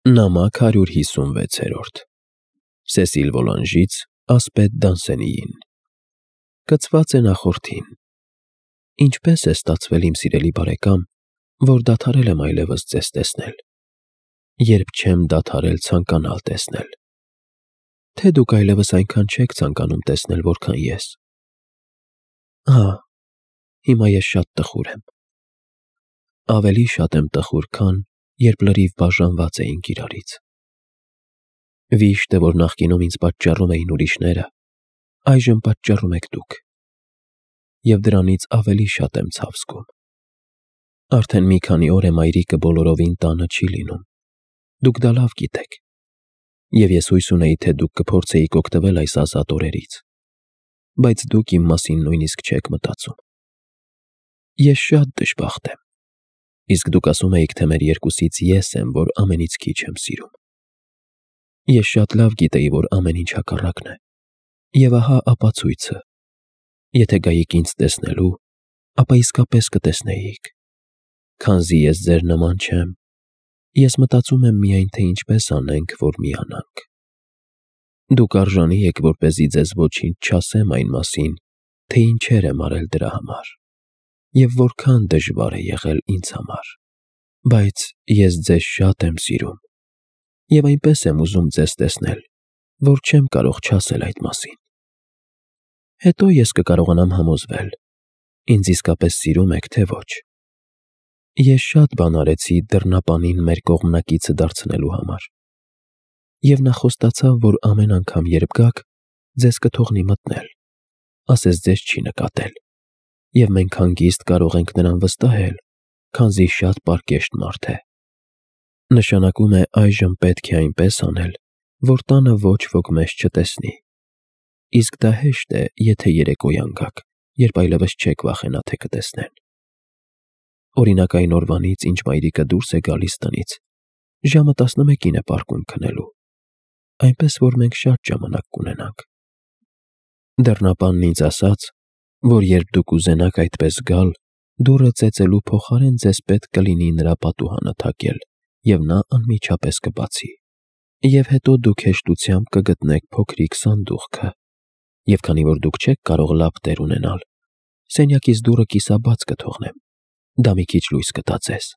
Նամակ 156 Սեսիլ Վոլանժից ասպետ Դանսենիին Կցված է նախորդին Ինչպես է ստացվել իմ սիրելի բարեկամ, որ դադարել եմ այլևս ձեզ տեսնել, երբ չեմ դադարել ցանկանալ տեսնել, թե դուք այլևս այնքան չեք ցանկանում տեսնել, որքան ես, հիմա ես շատ տխուր եմ, ավելի շատ եմ տխուր, քան երբ լրիվ բաժանված էինք իրարից, վիշտ է, որ նախկինում ինձ պատճառում էին ուրիշները, այժմ պատճառում եք դուք, և դրանից ավելի շատ եմ ցավ զգում, արդեն մի քանի օր է մայրիկը բոլորովին տանը չի լինում, դուք դա լավ գիտեք, և ես հույս ունեի, թե դուք կփորձեիք օգտվել այս ազատ օրերից, բայց դուք իմ մասին նույնիսկ չեք մտածում, ես շատ դժբախտ եմ, իսկ դուք ասում էիք, թե մեր երկուսից ես եմ, որ ամենից քիչ եմ սիրում, ես շատ լավ գիտեի, որ ամեն ինչ հակառակն է, և ահա ապացույցը, եթե գայիք ինձ տեսնելու, ապա իսկապես կտեսնեիք, քանզի ես ձեր նման չեմ, ես մտածում եմ միայն, թե ինչպես անենք, որ միանանք, դուք արժանի եք, որպեսզի ձեզ ոչինչ չասեմ այն մասին, թե ինչեր եմ արել դրա համար, և որքան դժվար է եղել ինձ համար, բայց ես ձեզ շատ եմ սիրում, և այնպես եմ ուզում ձեզ տեսնել, որ չեմ կարող չասել այդ մասին, հետո ես կկարողանամ համոզվել, ինձ իսկապես սիրում եք, թե ոչ, ես շատ բան արեցի դռնապանին մեր կողմնակիցը դարձնելու համար, և նա խոստացավ, որ ամեն անգամ, երբ գաք, ձեզ կթողնի մտնել, ասես ձեզ չի նկատել, և մենք հանգիստ կարող ենք նրան վստահել, քանզի շատ պարկեշտ մարդ է, նշանակում է այժմ պետք է այնպես անել, որ տանը ոչ ոք մեզ չտեսնի, իսկ դա հեշտ է, եթե երեկոյան գաք, երբ այլևս չեք վախենա, թե կտեսնեն, օրինակ այն օրվանից, ինչ մայրիկը դուրս է գալիս տնից, ժամը 11-ին է պարկում քնելու, այնպես որ մենք շատ ժամանակ կունենանք, դռնապանն ինձ ասաց, որ երբ դուք ուզենաք այդպես գալ, դուռը ծեծելու փոխարեն ձեզ պետք կլինի նրա պատուհանը թակել, և նա անմիջապես կբացի, և հետո դուք հեշտությամբ կգտնեք փոքրիկ սանդուղքը, և քանի որ դուք չեք կարող լավ տեր ունենալ, սենյակից դուռը կիսաբաց կթողնեմ, դա մի քիչ լույս կտա ձեզ,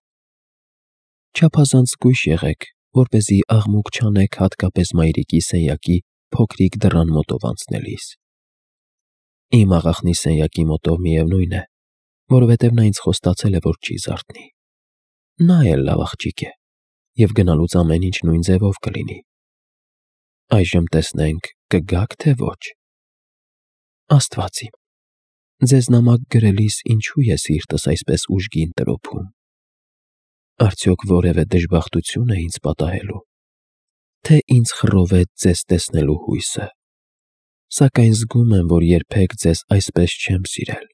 չափազանց զգույշ եղեք, որպեսզի աղմուկ չանեք հատկապես մայրիկի սենյակի փոքրիկ դռան մոտով անցնելիս, իմ աղախնի սենյակի մոտով միևնույն է, որովհետև նա ինձ խոստացել է, որ չի զարթնի, նա էլ լավ աղջիկ է, և գնալուց ամեն ինչ նույն ձևով կլինի, այժմ տեսնենք, կգաք, թե ոչ, Աստված իմ, ձեզ նամակ գրելիս ինչու է սիրտս այսպես ուժգին տրոփում, արդյոք որևէ դժբախտություն է ինձ պատահելու, թե ինձ խռովեց ձեզ տեսնելու հույսը, սակայն զգում եմ, որ երբեք ձեզ այսպես չեմ սիրել,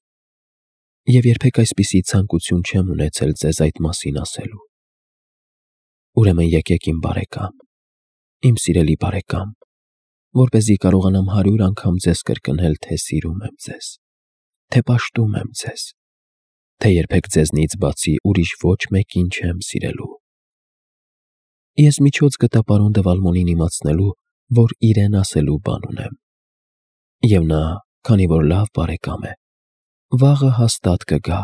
և երբեք այսպիսի ցանկություն չեմ ունեցել ձեզ այդ մասին ասելու, ուրեմն եկեք իմ բարեկամ, իմ սիրելի բարեկամ, որպեսզի կարողանամ 100 անգամ ձեզ կրկնել, թե սիրում եմ ձեզ, թե պաշտում եմ ձեզ, թե երբեք ձեզնից բացի ուրիշ ոչ մեկին չեմ սիրելու, ես միջոց գտա պարոն դե Վալմոնին իմացնելու, որ իրեն ասելու բան ունեմ, և նա, քանի որ լավ բարեկամ է, վաղը հաստատ կգա,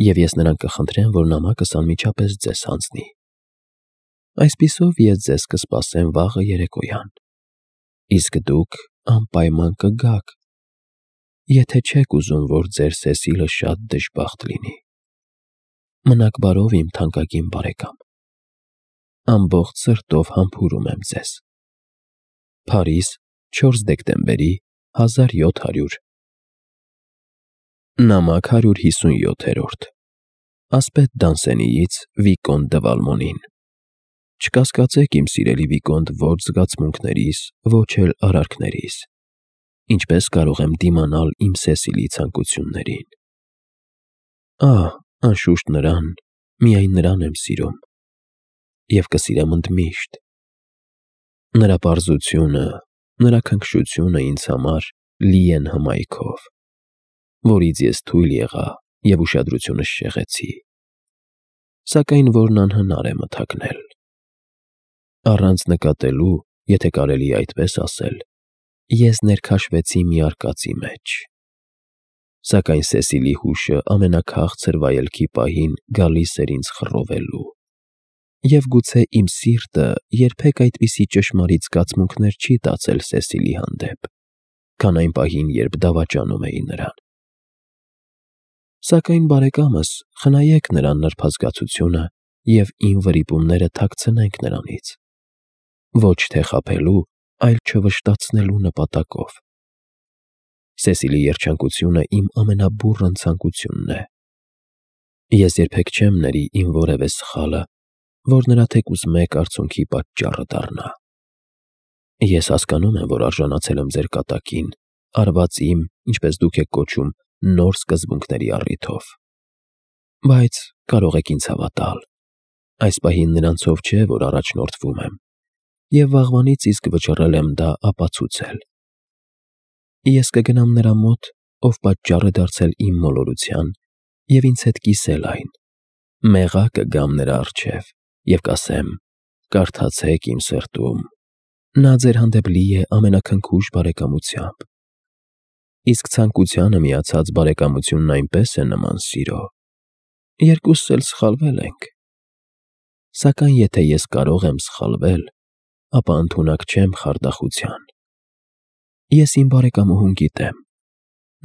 և ես նրան կխնդրեմ, որ նամակս անմիջապես ձեզ հանձնի, այսպիսով ես ձեզ կսպասեմ վաղը երեկոյան, իսկ դուք անպայման կգաք, եթե չեք ուզում, որ ձեր Սեսիլը շատ դժբախտ լինի, մնաք բարով իմ թանկագին բարեկամ, ամբողջ սրտով համբուրում եմ ձեզ, Փարիզ, 4 դեկտեմբերի 1700 Նամակ 157 Ասպետ Դանսենիից Վիկոնտ դը Վալմոնին Չկասկածեք, իմ սիրելի Վիկոնտ, ոչ զգացմունքներիս, ոչ էլ արարքներիս, ինչպես կարող եմ դիմանալ իմ Սեսիլի ցանկություններին, անշուշտ նրան, միայն նրան եմ սիրում, և կսիրեմ ընդմիշտ, նրա պարզությունը, նրա քնքշությունը ինձ համար լի են հմայքով, որից ես թույլ եղա և ուշադրությունս շեղեցի, սակայն որն անհնար է մթագնել, Առանց նկատելու, եթե կարելի է այդպես ասել, ես ներքաշվեցի մի արկածի մեջ։ Սակայն Սեսիլի հուշը ամենաքաղցր վայելքի պահին գալիս էր ինձ խռովելու։ Եվ գուցե իմ սիրտը երբեք այդպիսի ճշմարիտ զգացմունքներ չի տածել Սեսիլի հանդեպ, քան այն պահին, երբ դավաճանում էի նրան։ Սակայն բարեկամս, խնայեք նրան նրբազգացությունը և իմ վրիպումները թաքցնենք նրանից, ոչ թե խաբելու, այլ չվշտացնելու նպատակով։ Սեսիլի երջանկությունը իմ ամենաբուռն ցանկությունն է։ Ես երբեք չեմ ների իմ որևէ սխալը, որ նրա թեկուզ մեկ արցունքի պատճառը դառնա։ Ես հասկանում եմ, որ արժանացել եմ ձեր կատակին, արված իմ, ինչպես դուք եք կոչում, նոր սկզբունքների առիթով։ Բայց կարող եք ինձ հավատալ, այս պահին նրանցով չէ, որ առաջնորդվում եմ, և վաղվանից իսկ վճռել եմ դա ապացուցել։ Ես կգնամ նրա մոտ, ով պատճառ է դարձել իմ մոլորության, և ինձ հետ կիսել այն, մեղա կգամ նրա առջև և կասեմ. «Կարդացեք իմ սրտում, նա ձեր հանդեպ լի է ամենաքնքուշ բարեկամությամբ»։ Իսկ ցանկությանը միացած բարեկամությունն այնպես է նման սիրո։ Երկուսս էլ սխալվել ենք։ Սակայն եթե ես կարող եմ սխալվել, ապա ընդունակ չեմ խարդախության։ Ես իմ բարեկամուհուն գիտեմ։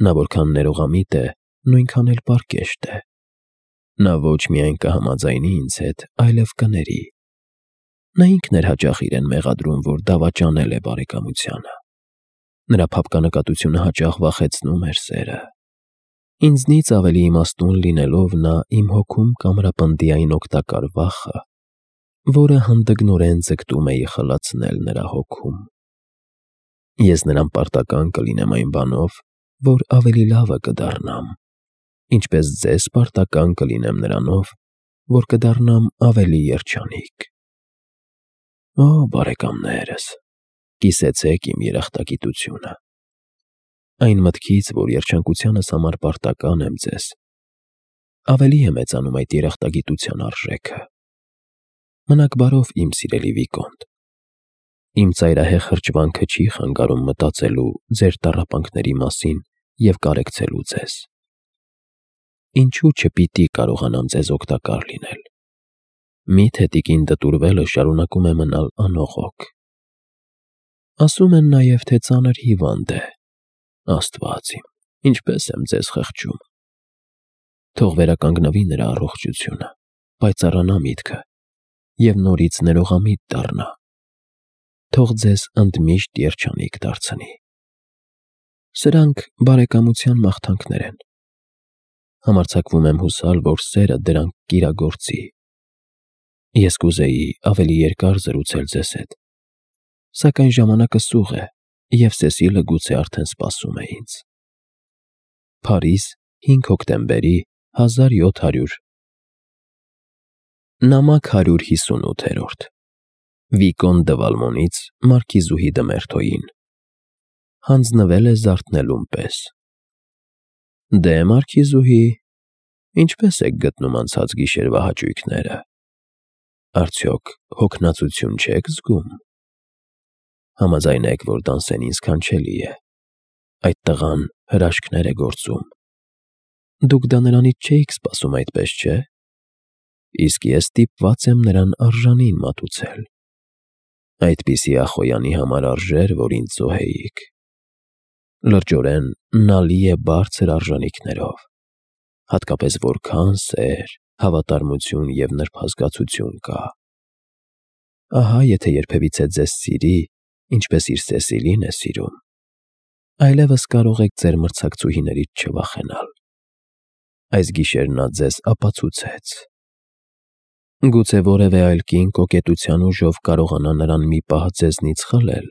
Նա որքան ներողամիտ է, նույնքան էլ պարկեշտ է։ Նա ոչ միայն կհամաձայնի ինձ հետ, այլև կների։ Նա ինքն էր հաճախ իրեն մեղադրում, որ դավաճանել է բարեկամությանը։ Նրա փափկանկատությունը հաճախ վախեցնում էր սերը։ Ինձնից ավելի իմաստուն լինելով, նա իմ հոգում կամրապնդի այն օգտակար վախը, որը հանդգնորեն ձգտում էի խլացնել նրա հոգում։ Ես նրան պարտական կլինեմ այն բանով, որ ավելի լավը կդառնամ, ինչպես ձեզ պարտական կլինեմ նրանով, որ կդառնամ ավելի երջանիկ։ Օ, բարեկամներս, կիսեցեք իմ երախտագիտությունը։ Այն մտքից, որ երջանկությանս համար պարտական եմ ձեզ, ավելի է մեծանում այդ երախտագիտության արժեքը։ Մնաք բարով, իմ սիրելի Վիկոնտ։ Իմ ծայրահեղ հրճվանքը չի խանգարում մտածելու ձեր տառապանքների մասին և կարեկցելու ձեզ։ Ինչու չպիտի կարողանամ ձեզ օգտակար լինել։ Միթե տիկին դտուրվելը շարունակում է մնալ անողոք։ Ասում են նաև, թե ծանր հիվանդ է։ Աստված իմ, ինչպես եմ ձեզ խղճում։ Թող վերականգնվի նրա առողջությունը, պայծառանա միտքը և նորից ներողամիտ դառնա։ Թող ձեզ ընդմիշտ երջանիկ դարձնի։ Սրանք բարեկամության մաղթանքներ են։ Համարձակվում եմ հուսալ, որ սերը դրանք կիրագործի։ Ես կուզեի ավելի երկար զրուցել ձեզ հետ, սակայն ժամանակը սուղ է, և Սեսիլը գուցե արդեն սպասում է ինձ։ Փարիզ, 5 հոկտեմբերի 1700 Նամակ 158 Վիկոն դը Վալմոնից մարքիզուհի դը Մերթոյին։ Հանձնվել է զարթնելուն պես։ Դե մարքիզուհի, ինչպես եք գտնում անցած գիշերվա հաճույքները։ Արդյոք հոգնածություն չեք զգում։ Համաձայնեք, որ Դանսենին սքանչելի է։ Այդ տղան հրաշքներ է գործում։ Դուք դա նրանից չէիք սպասում, այդպես չէ։ Իսկ ես ստիպված եմ նրան արժանին մատուցել։ Այդպիսի ախոյանի համար արժեր, որ ինձ զոհեիք։ Լրջորեն նա լի է բարձր արժանիքներով, հատկապես որքան սեր, հավատարմություն և նրբազգացություն կա։ Ահա եթե երբևիցե ձեզ սիրի, ինչպես իր Սեսիլին է սիրում, այլևս կարող եք ձեր մրցակցուհիներից չվախենալ։ Այս գիշեր նա ձեզ ապացուցեց։ Գուցե որևէ այլ կին կոկետության ուժով կարողանա նրան մի պահ ձեզնից խլել։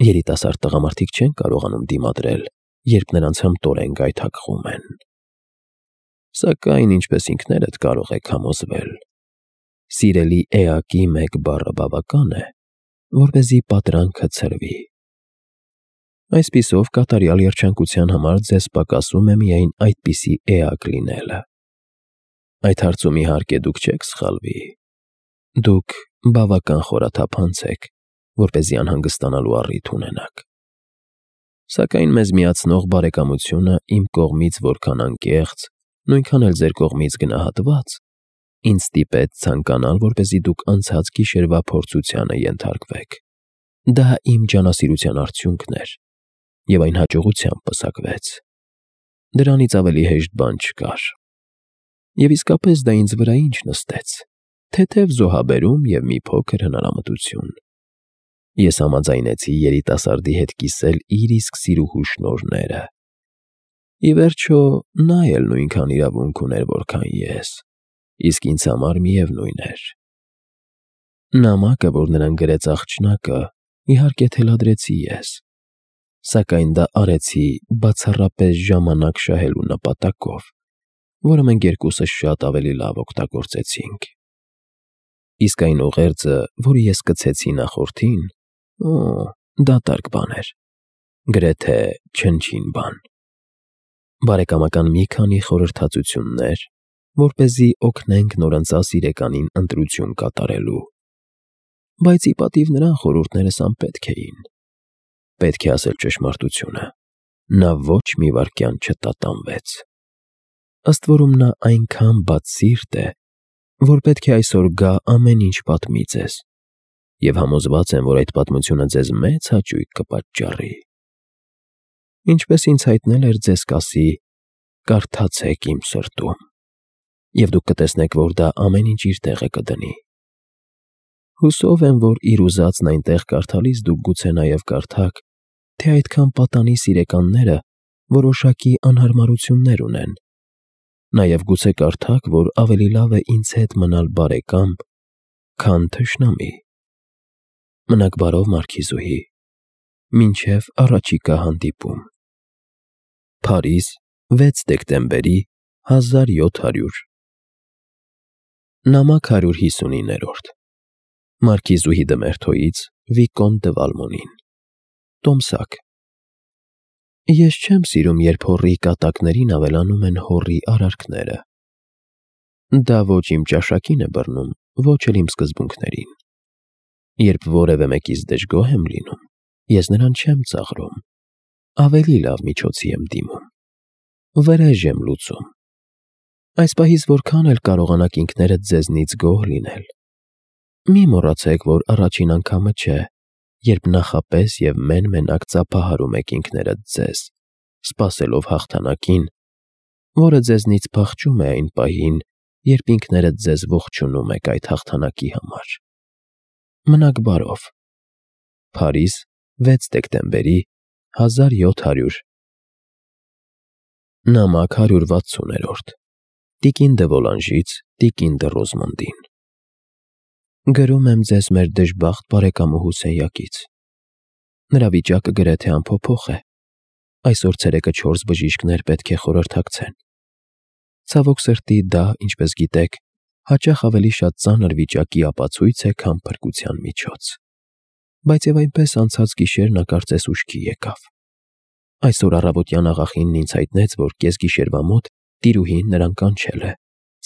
Երիտասարդ տղամարդիկ չեն կարողանում դիմադրել, երբ նրանց հմտորեն գայթակղում են։ Սակայն, ինչպես ինքներդ կարող եք համոզվել, սիրելի էակի մեկ բառը բավական է, որպեսզի պատրանքը ցրվի։ Այսպիսով, կատարյալ երջանկության համար ձեզ պակասում է միայն այդպիսի էակ լինելը։ Այդ հարցում իհարկե դուք չեք սխալվի։ Դուք Բավական խորաթափանց եք, որպեսզի անհանգստանալու առիթ ունենաք։ Սակայն մեզ միացնող բարեկամությունը իմ կողմից որքան անկեղծ, նույնքան էլ ձեր կողմից գնահատված, ինձ ստիպեց ցանկանալ, որպեսզի դուք անցած գիշերվա փորձությանը ենթարկվեք։ Դա իմ ջանասիրության արդյունքն էր, եւ այն հաջողությամբ պսակվեց։ Դրանից ավելի հեշտ բան չկար։ Եվ իսկապես դա ինձ վրա ինչ նստեց, թեթև զոհաբերում եւ մի փոքր հնարամտություն։ Ես համաձայնեցի երիտասարդի հետ կիսել իր իսկ սիրուհու շնորհները։ Ի վերջո, նա էլ նույնքան իրավունք ուներ, որքան ես, իսկ ինձ համար միևնույն էր։ Նամակը, որ նրան գրեց աղջնակը, իհարկե թելադրեցի ես, սակայն դա արեցի բացառապես ժամանակ շահելու նպատակով, որը մենք երկուսս շատ ավելի լավ օգտագործեցինք։ Իսկ այն ուղերձը, որը ես սկսեցի նախորդին, դատարկ բան էր, գրեթե չնչին բան։ Բարեկամական մի քանի խորհրդածություններ, որպեսզի օգնենք նորընծա սիրեկանին ընտրություն կատարելու։ Բայց ի պատիվ նրան խորհուրդներս անպետք էին։ Պետք է ասել ճշմարտությունը, նա ոչ մի վայրկյան չտատանվեց։ Ըստ որում նա այնքան բաց սիրտ է, որ պետք է այսօր գա ամեն ինչ պատմի ձեզ, եւ համոզված եմ, որ այդ պատմությունը ձեզ մեծ հաճույք կպատճառի։ Ինչպես ինձ հայտնել էր, ձեզ կասի. կարդացեք իմ սրտում, եւ դուք կտեսնեք, որ դա ամեն ինչ իր տեղը կդնի։ Հուսով եմ, որ իր ուզածն այնտեղ կարդալիս դուք գուցե նաև կարդաք, թե այդքան պատանի սիրեկանները որոշակի անհարմարություններ ունեն։ Նաև գուցե կարդաք, որ ավելի լավ է ինձ հետ մնալ բարեկամ, քան թշնամի։ Մնաք բարով, Մարքիզուհի, մինչև առաջիկա հանդիպում։ Փարիզ, 6 դեկտեմբերի 1700։ Նամակ 159-րդ Մարքիզուհի Դմերթոյից Վիկոնտ դը Վալմոնին։ Տոմսակ։ Ես չեմ սիրում, երբ հոռի կատակներին ավելանում են հոռի արարքները։ Դա ոչ իմ ճաշակին է բռնում, ոչ էլ իմ սկզբունքներին։ Երբ որևէ մեկից դժգոհ եմ լինում, ես նրան չեմ ծաղրում, ավելի լավ միջոցի եմ դիմում, վրեժ եմ լուծում։ Այս պահից որքան էլ կարողանաք ինքներդ ձեզնից գոհ լինել, մի մոռացեք, որ առաջին անգամը չէ, երբ նախապես եւ մեն-մենակ ծափահարում եք ինքներդ ձեզ, սպասելով հաղթանակին, որը ձեզնից փախչում է այն պահին, երբ ինքներդ ձեզ ողջունում եք այդ հաղթանակի համար։ Մնաք բարով։ Փարիզ, 6 դեկտեմբերի 1700։ Նամակ 160-րդ Տիկին դը Վոլանժից Տիկին դը Ռոզմոնդին։ Գրում եմ ձեզ մեր դժբախտ բարեկամուհու սենյակից։ Նրա վիճակը գրեթե անփոփոխ է։ Այսօր ցերեկը 4 բժիշկներ պետք է խորհրդակցեն։ Ցավոք սրտի դա, ինչպես գիտեք, հաճախ ավելի շատ ծանր վիճակի ապացույց է, քան փրկության միջոց։ Բայց եւ այնպես անցած գիշեր նա կարծես ուշքի եկավ։ Այսօր առավոտյան աղախինն ինձ հայտնեց, որ կեսգիշերվա մոտ տիրուհին նրան կանչել է,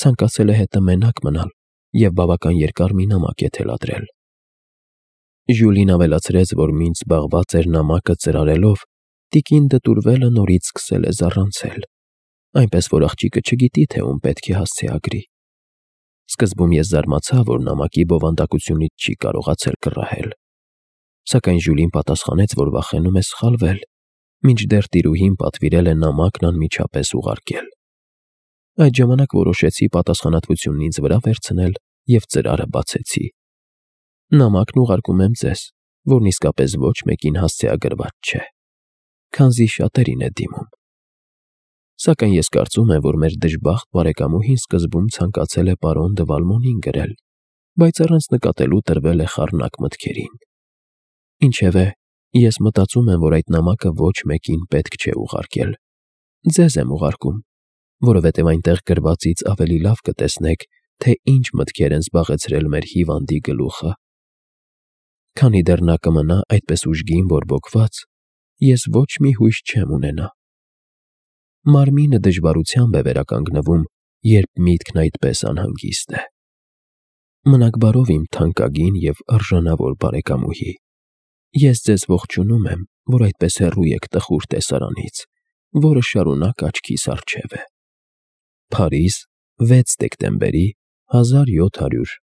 ցանկացել է հետը մենակ մնալ եւ բավական երկար մի նամակ է թելադրել։ Ժյուլին ավելացրեց, որ մինչ զբաղված էր նամակը ծրարելով, տիկին դտուրվելը նորից սկսել է զառանցել, այնպես որ աղջիկը չգիտի, թե ում պետք է հասցեագրի։ Սկզբում ես զարմացա, որ նամակի բովանդակությունից չի կարողացել կռահել, սակայն Ժյուլին պատասխանեց, որ վախենում է սխալվել, մինչդեռ տիրուհին պատվիրել է նամակն անմիջապես ուղարկել։ Այդ ժամանակ որոշեցի պատասխանատվությունն ինձ վրա վերցնել եւ ծրարը բացեցի։ Նամակն ուղարկում եմ ձեզ, որն իսկապես ոչ մեկին հասցեագրված չէ, քանզի շատերին է դիմում։ Սակայն ես կարծում եմ, որ մեր դժբախտ բարեկամուհին սկզբում ցանկացել է պարոն դը Վալմոնին գրել, բայց առանց նկատելու տրվել է խառնակ մտքերին։ Ինչևէ, ես մտածում եմ, որ այդ նամակը ոչ մեկին պետք չէ ուղարկել։ Ձեզ եմ ուղարկում, որովհետև այնտեղ գրվածից ավելի լավ կտեսնեք, թե ինչ մտքեր են զբաղեցրել մեր հիվանդի գլուխը։ Քանի դեռ նա կմնա այդպես ուժգին բորբոքված, ես ոչ մի հույս չեմ ունենա։ Մարմինը դժվարությամբ է վերականգնվում, երբ միտքն այդպես անհանգիստ է։ Մնաք բարով իմ թանկագին և արժանավոր բարեկամուհի, ես ձեզ ողջունում եմ, որ այդպես հեռու եք տխուր տեսարանից, որը շարունակ աչքիս առջև է։ Փարիզ, 6 դեկտեմբերի 1700